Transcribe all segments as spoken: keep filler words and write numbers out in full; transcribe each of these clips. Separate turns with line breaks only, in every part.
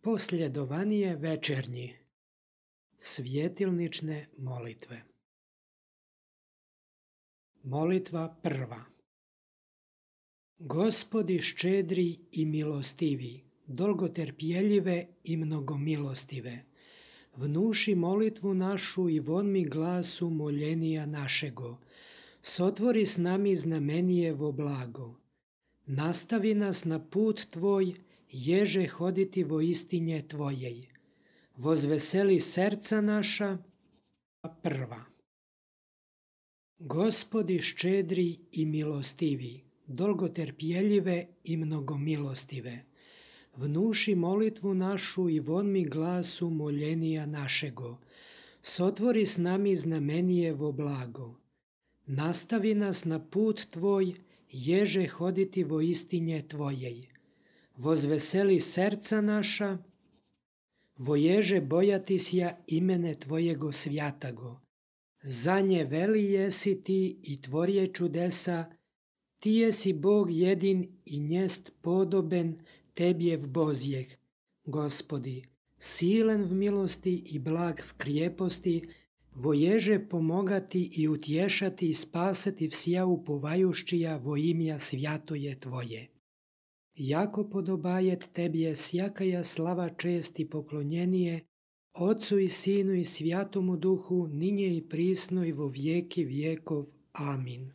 Posljedovanije večernji. Svjetilnične molitve. Molitva prva. Gospodi ščedri i milostivi, dolgoterpjeljive i mnogomilostive, vnuši molitvu našu i von mi glasu moljenija našego, sotvori s nami znamenijevo blago. Nastavi nas na put tvoj, ježe hoditi vo istinje tvojej. Vozveseli srca naša. Prva. Gospodi ščedri i milostivi, dolgoterpjeljive i mnogomilostive, vnuši molitvu našu i von mi glasu moljenija našego, sotvori s nami znamenijevo blago. Nastavi nas na put tvoj, ježe hoditi vo istinje tvojej. Vozveseli srca naša, voježe bojati sja imene tvojego svjatago. Za nje veli jesi ti i tvorje čudesa, ti jesi Bog jedin i njest podoben tebjev Bozjeg. Gospodi, silen v milosti i blag v krijeposti, voježe pomogati i utješati i spasati vsja upovajuščija vo imja svjatoje tvoje. Jako podobajet tebje sjakaja slava čest i poklonjenije, Otcu i Sinu i Svjatomu Duhu, ninje i prisno i vo vijeki vijekov. Amin.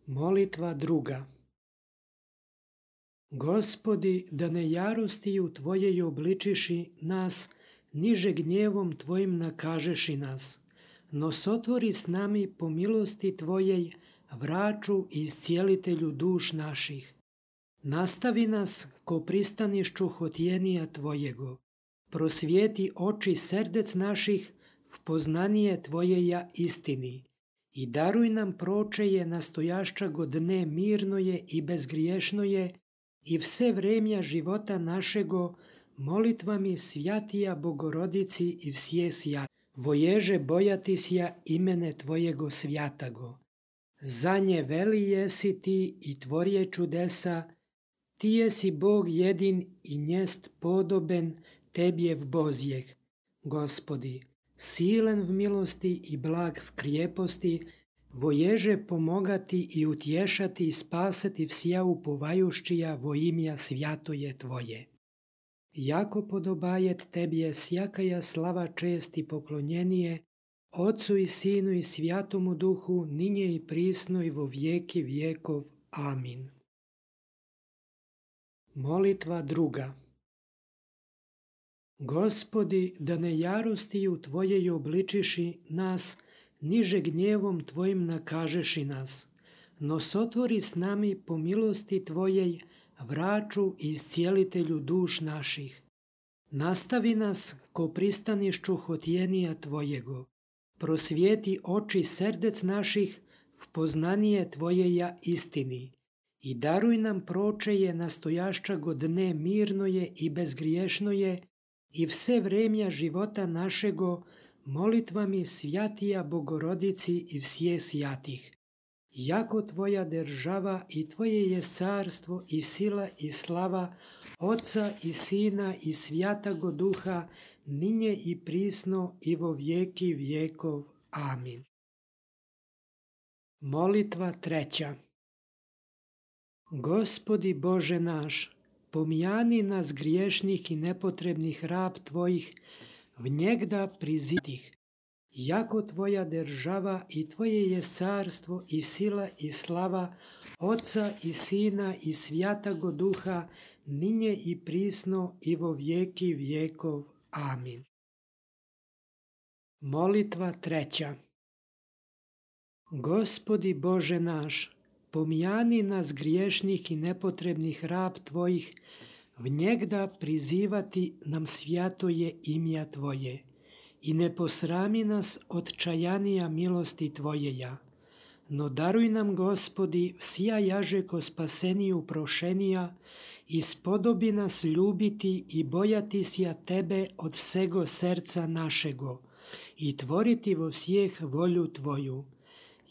Molitva druga. Gospodi, da ne jarostiju Tvojej obličiši nas, niže gnjevom Tvojim nakažeši nas, no sotvori s nami po milosti Tvojej, vraču i iscijelitelju duš naših. Nastavi nas ko pristanišću hotjenija Tvojego, prosvijeti oči srdec naših v poznanije Tvojeja istini i daruj nam pročeje nastojašćago dne mirnoje i bezgriješnoje i vse vremja života našego molitvami svjatija Bogorodici i vsje sjat. Voježe bojati sja imene Tvojego svjatago. Za nje veli jesi ti i tvorje čudesa, ti jesi Bog jedin i njest podoben tebjev Bozjeg. Gospodi, silen v milosti i blag v krijeposti, voježe pomogati i utješati i spasati vsja upovajuščija vo imja svjatoje Tvoje. Jako podobajet tebje sjakaja slava čest i poklonjenije, Otcu i Sinu i Svjatomu Duhu, ninje i prisno i vo vijeki vijekov. Amin. Molitva druga. Gospodi, da ne jarostiju Tvojej obličiši nas, niže gnjevom Tvojim nakažeši nas, no sotvori s nami po milosti Tvojej, vraču i iscijelitelju duš naših. Nastavi nas ko pristanišću hotjenija Tvojego, prosvijeti oči srdec naših v poznanije Tvojeja istini i daruj nam pročeje nastojašćago dne mirnoje i bezgriješnoje i vse vremja života našego molitvami svjatija Bogorodici i vsje sjatih. Jako Tvoja država i Tvoje je carstvo i sila i slava Otca i Sina i Svjatago Duha, ninje i prisno i vo vijeki vijekov. Amin. Molitva treća. Gospodi Bože naš, pomijani nas griješnih i nepotrebnih rab Tvojih, vnjegda prizitih. Jako Tvoja država i Tvoje je carstvo i sila i slava Otca i Sina i Svjatago Duha, ninje i prisno i vo vijeki vijekov. Amin. Molitva treća. Gospodi Bože naš, pomijani nas griješnih i nepotrebnih rab Tvojih, vnjegda prizivati nam svjatoje imja Tvoje i ne posrami nas od čajanija milosti Tvojeja, no daruj nam, Gospodi, vsja jažeko spaseniju prošenija i spodobi nas ljubiti i bojati sja Tebe od vsego srca našego i tvoriti vo vsjeh volju Tvoju.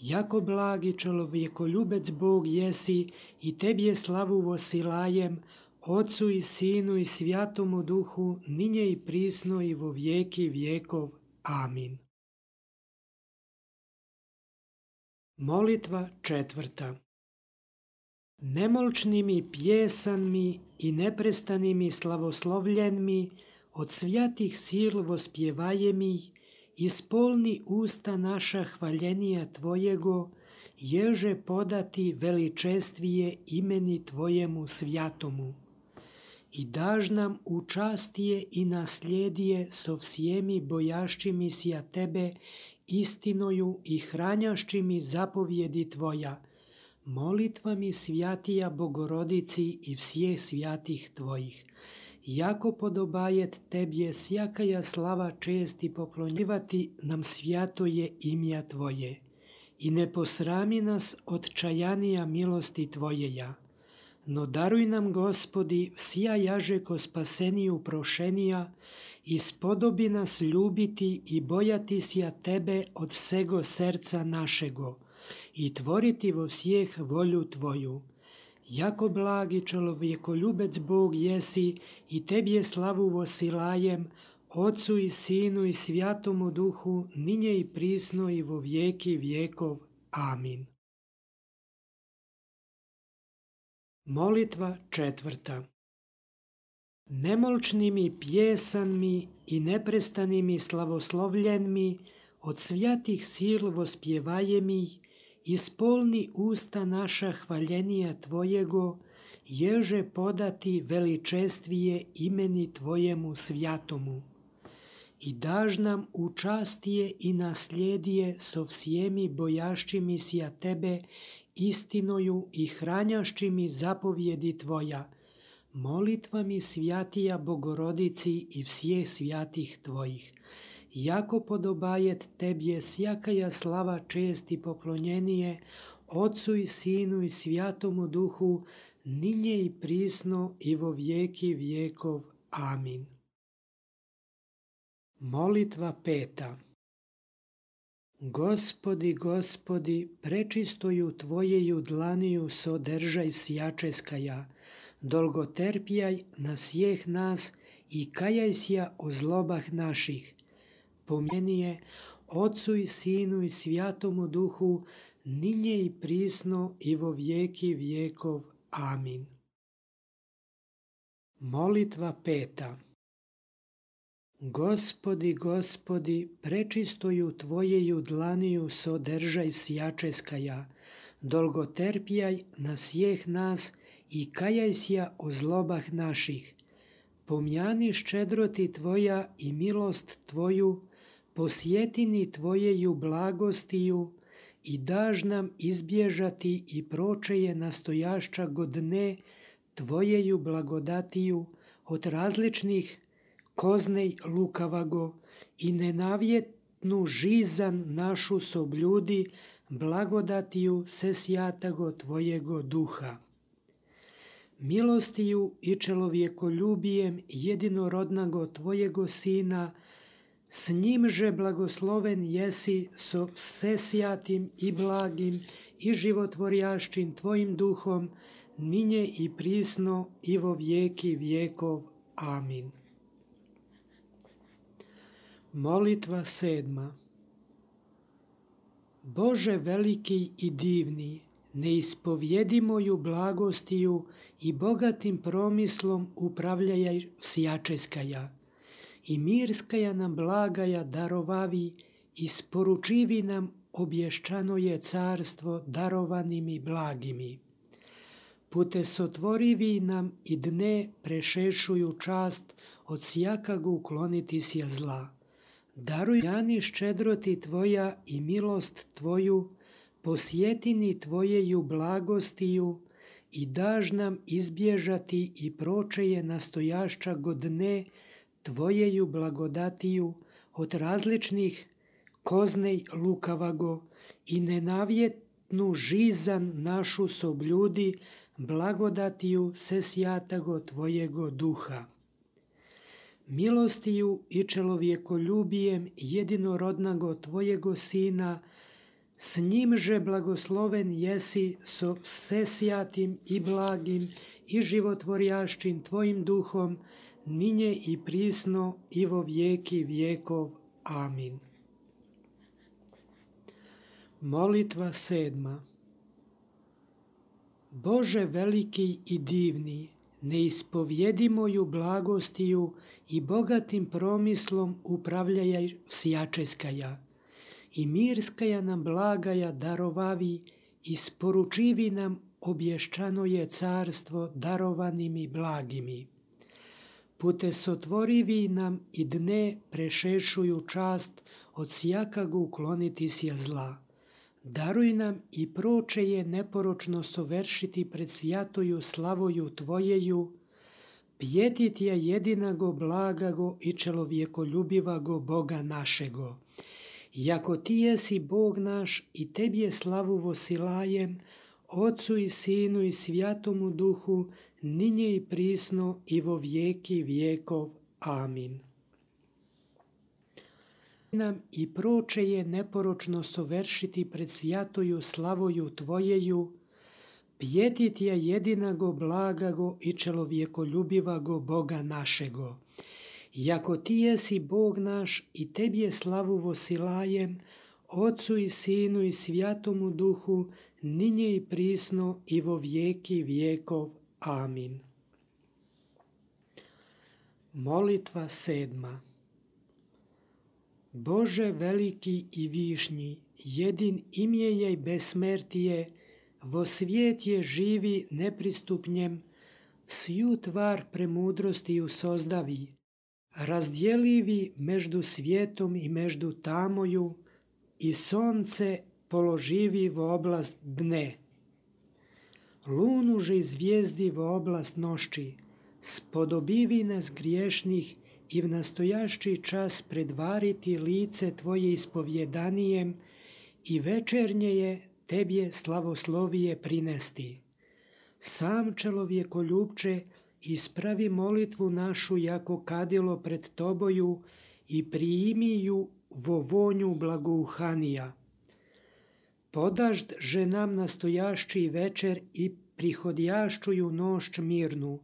Jako blagi čovjekoljubec Bog jesi i Tebje slavu vosilajem, Otcu i Sinu i Svjatomu Duhu, ninje i prisno i vo vijeki vjekov. Amin. Molitva četvrta. Nemolčnimi pjesanmi i neprestanimi slavoslovljenmi od svjatih sil vospjevajemi, ispolni usta naša hvaljenija Tvojego, ježe podati veličestvije imeni Tvojemu svjatomu. I daž nam učastije i naslijedije so vsijemi bojaščimi sja Tebe, istinoju i hranjaščimi zapovjedi Tvoja, molitvami svjatija Bogorodici i vsijeh svjatih Tvojih. Jako podobajet Tebje sjakaja slava čest i poklonjivati nam svjatoje imja Tvoje. I ne posrami nas od čajanija milosti Tvojeja. No daruj nam, Gospodi, vsija jažeko spaseniju prošenija i spodobi nas ljubiti i bojati sja Tebe od vsego serca našego i tvoriti vo vsijeh volju Tvoju. Jako blagi čovjekoljubec Bog jesi i Tebje slavu vosilajem, Otcu i Sinu i Svjatomu Duhu, ninje i prisno i vo vijeki vjekov. Amin. Molitva četvrta. Nemolčnimi pjesanmi i neprestanimi slavoslovljenmi od svjatih sil vospjevajemi, ispolni usta naša hvaljenija Tvojego, ježe podati veličestvije imeni Tvojemu svjatomu. I daž nam učastije i naslijedije so vsijemi bojaščimi sja Tebe, istinoju i hranjaščimi zapovjedi Tvoja, molitvami svjatija Bogorodici i vsijeh svjatih Tvojih. Jako podobajet Tebje sjakaja slava čest i poklonjenije, Otcu i Sinu i Svjatomu Duhu, ninje i prisno i vo vijeki vjekov. Amin. Molitva peta. Gospodi, Gospodi, prečistoju Tvojeju dlaniju sodržaj vsjačeskaja, dolgoterpjaj na svijeh nas i kajaj sja o zlobah naših. Pomjenije Otcu i Sinu i Svjatomu Duhu, ninje i prisno i vo vijeki vjekov. Amin. Molitva peta. Gospodi, Gospodi, prečistoju Tvojeju dlaniju sodržaj vsjačeskaja, dolgoterpjaj na svijeh nas i kajaj sja o zlobah naših. Pomjani ščedroti Tvoja i milost Tvoju, posjetini Tvojeju blagostiju i daž nam izbježati i pročeje nastojašća godine Tvojeju blagodatiju od različnih koznej lukavago i nenavjetnu žizan našu sobljudi blagodatiju se sjatago Tvojego duha. Milostiju i čelovjekoljubijem jedinorodnago Tvojego Sina, s njimže blagosloven jesi so vsesjatim i blagim i životvorjašćim Tvojim duhom, ninje i prisno i vo vijeki vjekov. Amin. Molitva sedma. Bože veliki i divni, neispovjedimoju blagostiju i bogatim promislom upravljaj vsjačeskaja, i mirskaja nam blagaja darovavi, isporučivi nam obješćano je carstvo darovanimi blagimi. Pute sotvorivi nam i dne prešešuju čast od sjakagu ukloniti sja zla. Daruj jani ščedroti Tvoja i milost Tvoju, posjetini Tvojeju blagostiju i daž nam izbježati i pročeje nastojašća godine Tvojeju blagodatiju od različnih koznej lukavago i nenavjetnu žizan našu sobljudi blagodatiju se sjatago Tvojego duha. Milostiju i čelovjekoljubijem jedinorodnago Tvojego Sina, S njimže blagosloven jesi so всесвятим i blagim i životvorjašćim tvojim duhom, ninje i prisno i vo vijeki vijekov. Amin. Molitva sedma. Bože veliki i divni, neispovjedimoju blagostiju i bogatim promislom upravljaj всяческая, i mirskaja nam blagaja darovavi, isporučivi nam obješćanoje carstvo darovanimi blagimi. Pute sotvorivi nam i dne prešešuju čast od sjakagu ukloniti sja zla. Daruj nam i proče je neporočno soveršiti pred svjatoju slavoju Tvojeju, pjetit je jedinago blagago i čelovjekoljubivago Boga našego. Jako Ti jesi Bog naš i Tebje slavu vosilajem, Otcu i Sinu i Svjatomu Duhu, ninje i prisno i vo vijeki vijekov. Amin. Nam i proče je neporočno soveršiti pred svjatoju slavoju Tvojeju, pjetit je jedinago blagago i čelovjekoljubivago Boga našego. Jako Ti jesi Bog naš i Tebje slavu vosilajem, Otcu i Sinu i Svjatomu Duhu, ninje i prisno i vo vijeki vijekov. Amin. Molitva sedma. Bože veliki i višnji, jedin imjeje i besmrtije, vo svijet je živi nepristupnjem, vsju tvar premudrostiju sozdavi, razdjelivi među svijetom i među tamoju, i sonce položivi v oblast dne. Lunuže i zvijezdi v oblast nošči, spodobivi nas griješnih i v nastojašći čas predvariti lice Tvoje ispovjedanijem i večernje je Tebje slavoslovije prinesti. Sam čelovjekoljubče ispravi molitvu našu jako kadilo pred Toboju i primi ju vo vonju blagouhanija. Podažd že nam nastojašći večer i prihodjašćuju nošć mirnu,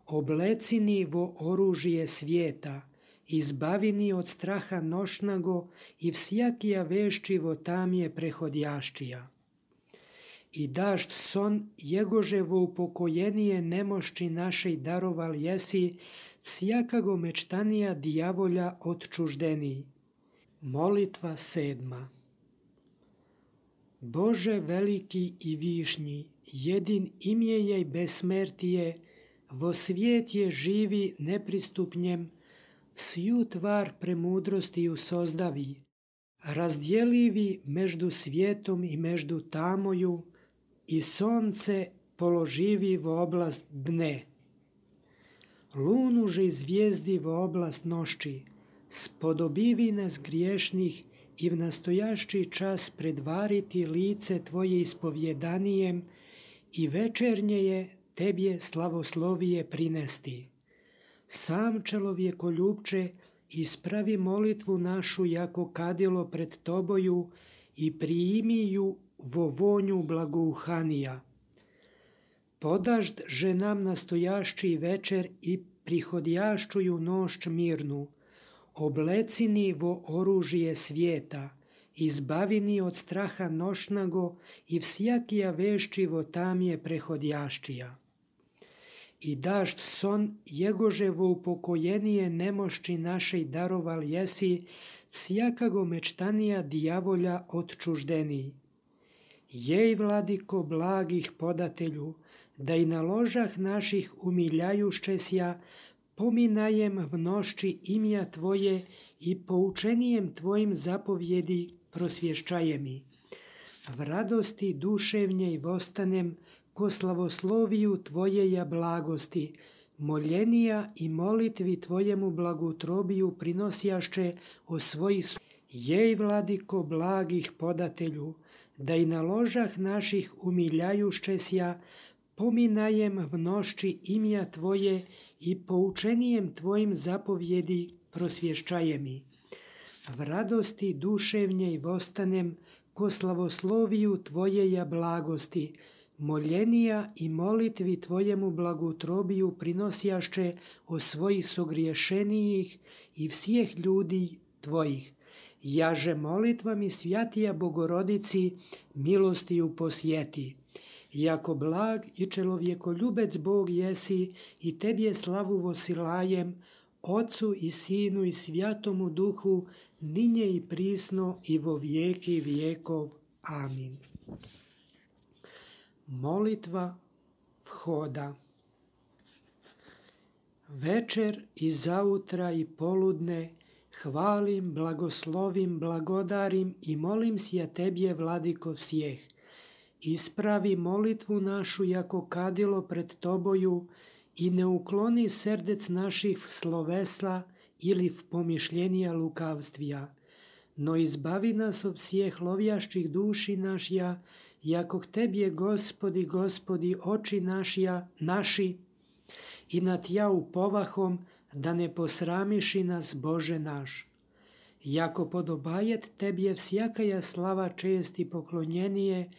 oblecini vo oružje svijeta, izbavini od straha nošnago i vsjakija vešći vo tamje prehodjašćija. I dašt son jegože vo upokojenije nemošći našej daroval jesi, vsjakago mečtanija dijavolja odčuždeniji. Molitva sedma. Bože veliki i višnji, jedin imjeje i besmrtije, vo svijet je živi nepristupnjem, vsju tvar premudrostiju sozdavi, razdjelivi među svijetom i među tamoju, i sonce položivi v oblast dne. Lunuže i zvijezdi v oblast nošči, spodobivi nas griješnih i v nastojašći čas predvariti lice Tvoje ispovjedanijem i večernje je Tebje slavoslovije prinesti. Sam čelovjekoljubče ispravi molitvu našu jako kadilo pred Toboju i primi ju vo vonju blagouhanija. Podažd že nam nastojašći večer i prihodjašćuju nošć mirnu, oblecini vo oružje svijeta, izbavini od straha nošnago i vsjakija vešći vo tamje prehodjašćija. I dašt son jegože vo upokojenije nemošći našej daroval jesi, vsjakago mečtanija dijavolja odčuždeniji. Jej, vladiko blagih podatelju, da i na ložah naših umiljajušćesja pominajem v nošći imja Tvoje i poučenijem Tvojim zapovjedi prosvješćaje mi. V radosti duševnjej vostanem ko slavosloviju Tvojeja blagosti, moljenija i molitvi Tvojemu blagutrobiju prinosjašće o svojih. Jej, vladiko blagih podatelju, da i na ložah naših umiljajušćesja pominajem v nošći imja Tvoje i poučenijem Tvojim zapovjedi prosvješćaje mi. V radosti duševnjej vostanem ko slavosloviju Tvojeja blagosti, moljenija i molitvi Tvojemu blagotrobiju prinosjašće o svojih sogriješenijih i всех ljudi Tvojih. Jaže molitvami svjatija Bogorodici milostiju posjeti. Jako blag i čelovjekoljubec Bog jesi i Tebje slavu vosilajem, Otcu i Sinu i Svjatomu Duhu, ninje i prisno i vo vijeki vijekov. Amin. Molitva vhoda. Večer i zautra i poludne hvalim, blagoslovim, blagodarim i molim sja Tebje, Vladiko vsjeh. Ispravi molitvu našu jako kadilo pred Toboju i ne ukloni srdec naših v slovesla ili v pomišljenja lukavstvija, no izbavi nas od всех lovjašćih duši našja, jako k Tebje, Gospodi, Gospodi, oči našja, naši, i na Tja upovahom, da ne posramiši nas, Bože naš. Jako podobajet Tebje всякая slava, čest i poklonjenije,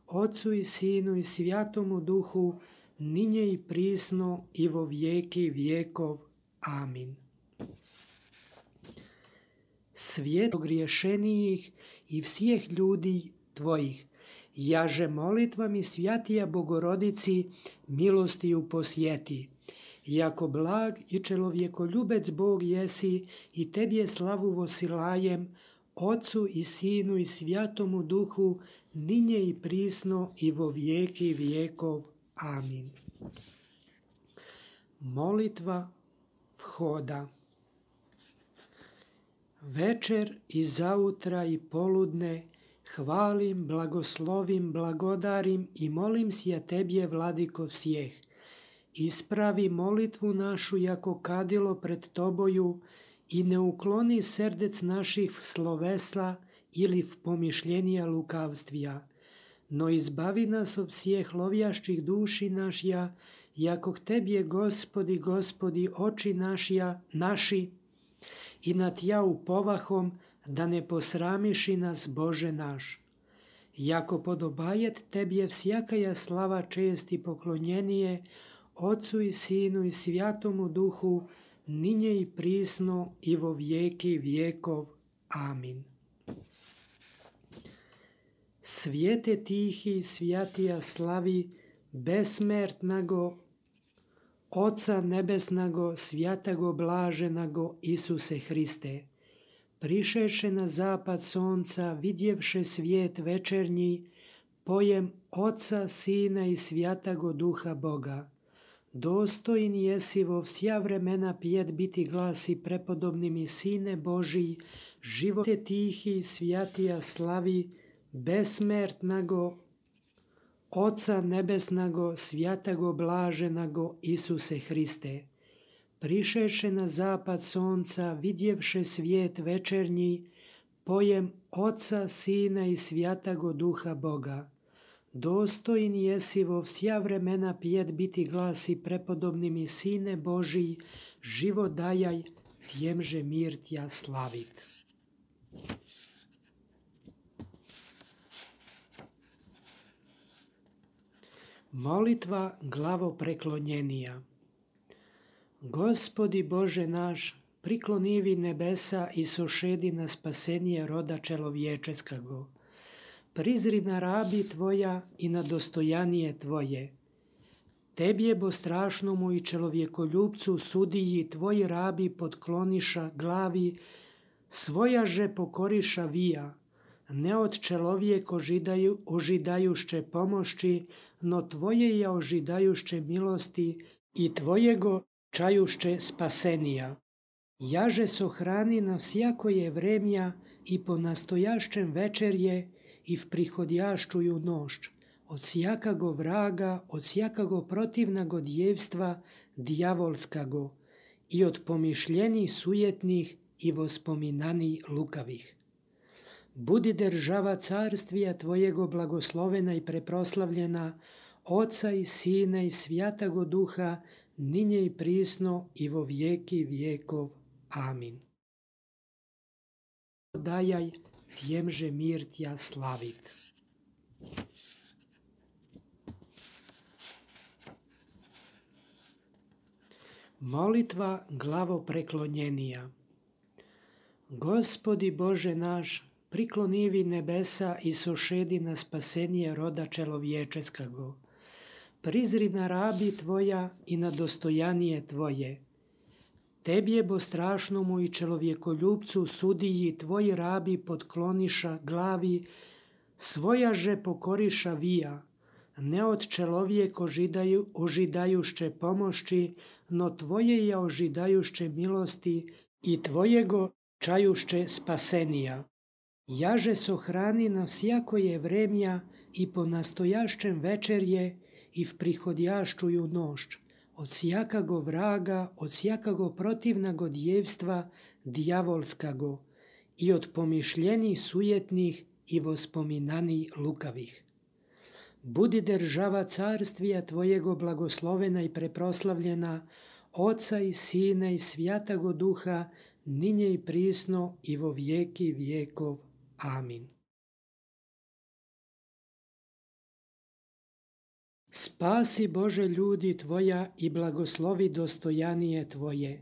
Otcu i Sinu i Svjatomu Duhu, ninje i prisno i vo vijeki vijekov. Amin. Svijet ogriješenijih i всех ljudi Tvojih, jaže molitvami svjatija Bogorodici milostiju posjeti. Jako blag i čelovjekoljubec Bog jesi i Tebje slavu vosilajem, Otcu i Sinu i Svjatomu Duhu, ninje i prisno i vo vijeki vijekov. Amin. Molitva vhoda. Večer i zautra i poludne hvalim, blagoslovim, blagodarim i molim sja Tebje, Vladiko vsjeh. Ispravi molitvu našu jako kadilo pred Toboju i ne ukloni srdec naših v slovesla ili v pomišljenja lukavstvija, no izbavi nas od всех lovjašćih duši našja, jako k Tebje, Gospodi, Gospodi, oči našja, naši, i na Tja upovahom, da ne posramiši nas, Bože naš. Jako podobajet Tebje всякая slava, čest i poklonjenije, Otcu i Sinu i Svjatomu Duhu, ninje i prisno i vo vijeki vijekov. Amin. Svijete tihi svjatija slavi, besmertnago, Oca nebesnago, svjatago blaženago Isuse Hriste. Prišeše na zapad sonca, vidjevše svijet večernji, pojem Oca, Sina i Svjatago Duha Boga. Dostojn jesi vo vsja vremena pjet biti glasi prepodobni mi Sine Božiji, živote tihi svjatija slavi, besmertnago, Oca nebesnago, svjatago blaženago Isuse Hriste. Prišeše na zapad sonca, vidjevše svijet večernji, pojem Oca, Sina i Svjatago Duha Boga. Dostojn jesi vo vsja vremena pjet biti glasi prepodobni mi Sine Božiji, život dajaj, tjemže mir Tja slavit. Molitva glavopreklonjenija. Gospodi Bože naš, priklonivi nebesa i sošedi na spasenije roda čelovječeskago. Prizri na rabi Tvoja i na dostojanije Tvoje. Tebje bo strašnomu i čelovjekoljubcu sudiji Tvoji rabi podkloniša glavi, svoja že pokoriša vija, ne od čelovjek ožidaju, ožidajušće pomošći, no Tvoje je ožidajušće milosti i Tvojego čajušće spasenija. Jaže sohrani na всякое vremja i po nastojašćem večerje i v prihodjašćuju nošć, od sjakago vraga, od sjakago protivnago djevstva djavolskago i od pomišljeni sujetnih i vospominani lukavih. Budi država carstvija Tvojego blagoslovena i preproslavljena, Oca i Sina i Svjatago Duha, ninje i prisno i vo vijeki vijekov. Amin. Dajaj, tjemže mir tja slavit. Molitva glavopreklonjenija. Gospodi Bože naš, priklonivi nebesa i sošedi na spasenje roda čelovječeskago. Prizri na rabi Tvoja i na dostojanije Tvoje. Tebje bo strašnomu i čelovjekoljubcu sudiji Tvoji rabi podkloniša glavi, svoja že pokoriša vija, ne od čelovjek ožidaju, ožidajušće pomošći, no Tvoje je ožidajušće milosti i Tvojego čajušće spasenija. Jaže sohrani na vsjakoje vremja i po nastojašćem večerje i v prihodjaščuju nošć, od sjakago vraga, od sjakago protivnago djevstva djavolskago i od pomišljenih sujetnih i vospominani lukavih. Budi država carstvija Tvojego blagoslovena i preproslavljena, Oca i Sina i Svjatago Duha, ninje i prisno i vo vijeki vijekov. Amin. Spasi Bože ljudi Tvoja i blagoslovi dostojanije Tvoje.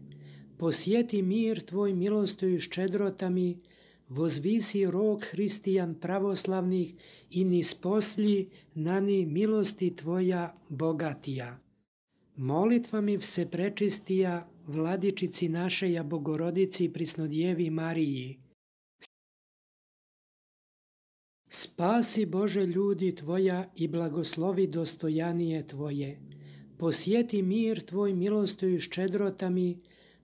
Posjeti mir Tvoj milostiju i ščedrotami, vozvisi rok hristijan pravoslavnih i nisposlji nani milosti Tvoja bogatija. Molitvami vse prečistija, Vladičici našeja Bogorodici i Prisnodjevi Mariji. Spasi Bože ljudi Tvoja i blagoslovi dostojanije Tvoje. Posjeti mir Tvoj milostiju i ščedrotami,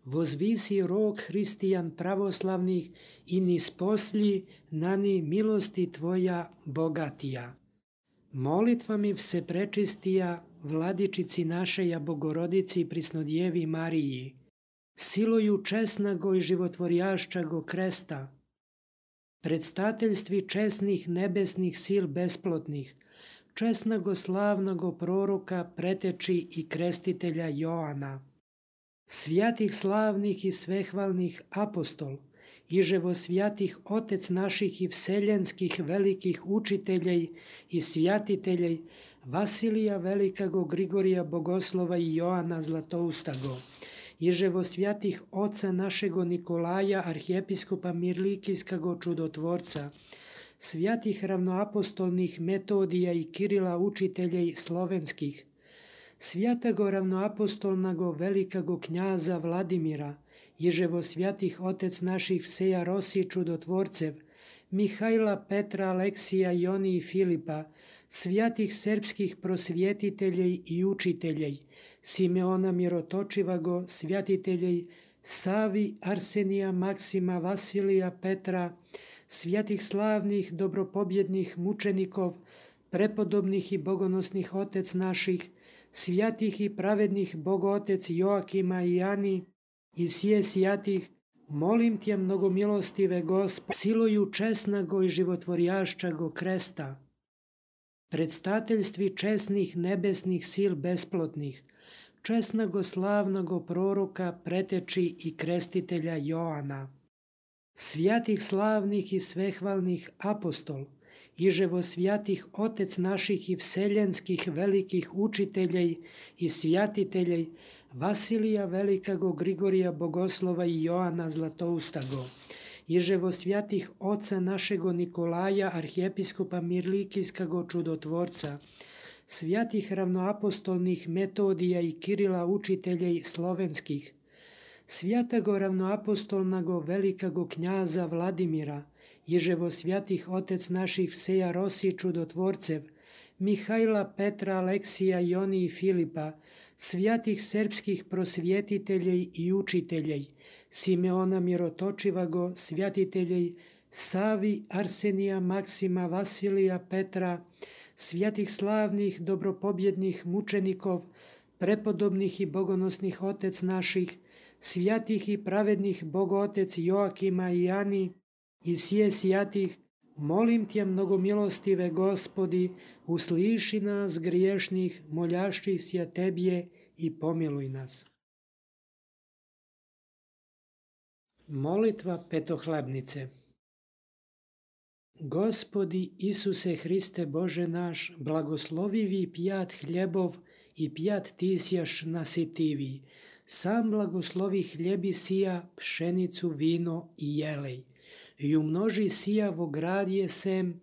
vozvisi rok hristijan pravoslavnih i nisposlji nani milosti Tvoja bogatija. Molitvami vse prečistija, Vladičici našeja Bogorodici i Prisnodjevi Mariji, siloju česnago i životvorjašćago kresta, predstateljstvi česnih nebesnih sil besplotnih, česnago slavnago proroka preteči i krestitelja Joana, svjatih slavnih i svehvalnih apostol, iževo svjatih otec naših i vseljenskih velikih učiteljej i svjatiteljej Vasilija Velikago, Grigorija Bogoslova i Joana Zlatoustago, iževo svjatih oca našego Nikolaja, arhijepiskopa Mirlikijskago čudotvorca, svjatih ravnoapostolnih Metodija i Kirila učiteljej slovenskih, svjatago ravnoapostolnago velikago knjaza Vladimira, iževo svjatih otec naših Vseja Rosi čudotvorcev, Mihajla, Petra, Aleksija, Joni i Filipa, svjatih srpskih prosvjetiteljej i učiteljej, Simeona Mirotočivago, svjatiteljej, Savi, Arsenija, Maksima, Vasilija, Petra, svjatih slavnih dobropobjednih mučenikov, prepodobnih i bogonosnih otec naših, svjatih i pravednih bogootec Joakima i Ani, i svije sjatih, molim Tje mnogomilostive Gospod, siloju česnago i životvorjašćago kresta, predstateljstvi česnih nebesnih sil besplotnih, česnago slavnago proroka preteči i krestitelja Joana, svjatih slavnih i svehvalnih apostol, iževo svjatih otec naših i vseljenskih velikih učiteljej i svjatiteljej Vasilija Velikago, Grigorija Bogoslova i Joana Zlatoustago, iževo svjatih oca našego Nikolaja, arhijepiskopa Mirlikijskago čudotvorca, svjatih ravnoapostolnih Metodija i Kirila učiteljej slovenskih, svjatago ravnoapostolnago velikago knjaza Vladimira, iževo svjatih otec naših Vseja Rosi čudotvorcev, Mihajla, Petra, Aleksija, Joni i Filipa, svjatih srpskih prosvjetiteljej i učiteljej, Simeona Mirotočivago, svjatiteljej, Savi, Arsenija, Maksima, Vasilija, Petra, svjatih slavnih dobropobjednih mučenikov, prepodobnih i bogonosnih otec naših, svjatih i pravednih bogootec Joakima i Ani, i svije sjatih, molim Tje mnogomilostive Gospodi, usliši nas griješnih, moljašćih sja Tebje i pomiluj nas. Molitva petohlebnice. Gospodi Isuse Hriste Bože naš, blagoslovivi pjat hljebov i pjat tisjaš nasitivi. Sam blagoslovi hljebi sija, pšenicu, vino i jelej. I umnoži sija vo gradje sem,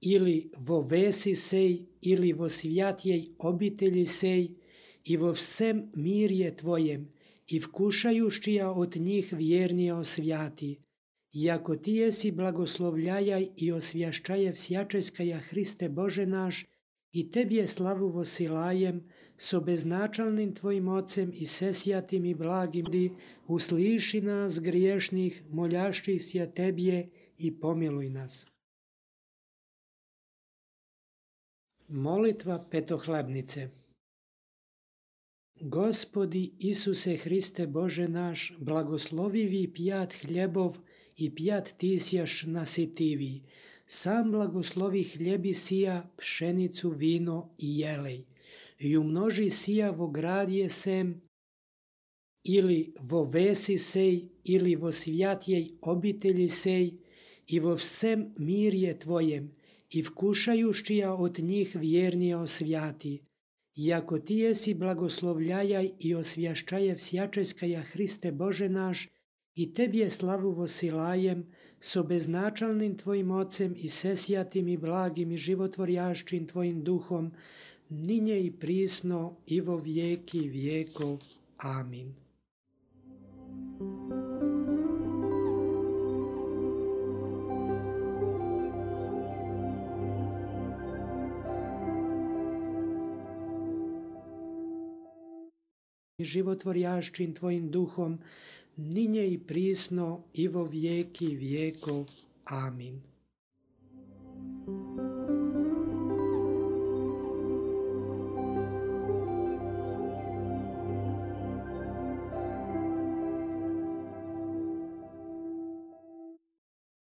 ili vo vesi sej, ili vo svjatjej obitelji sej, i vo vsem mirje tvojem, i vkušajušćija od njih vjernije osvjati. Iako ti jesi blagoslovljajaj i osvjašćaje всячеskaja Hriste Bože naš, i tebje slavu vosilajem, so beznačalnim tvojim ocem i sesjatim i blagim, usliši nas griješnih, moljašćih sja tebje i pomiluj nas. Molitva petohlebnice. Gospodi Isuse Hriste Bože naš, blagoslovivi pjat hljebov i pjat tisjaš nasitivi. Sam blagoslovi hljebi sija, pšenicu, vino i jelej. I umnoži sija vo gradje sem, ili vo vesi sej, ili vo svjatjej obitelji sej, i vo vsem mirje tvojem, i vkušajušćija od njih vjernije osvjati. Iako ti jesi blagoslovljajaj i osvjašćaje всячеskaja Hriste Bože naš, i tebje slavu vosilajem, so beznačalnim tvojim ocem i sesjatim i blagim i životvorjašćim tvojim duhom, ninje i prisno i vo vijeki vijekov. Amin. Životvorjašćim tvojim duhom, ninje i prisno i vo vijeki vijekov. Amin.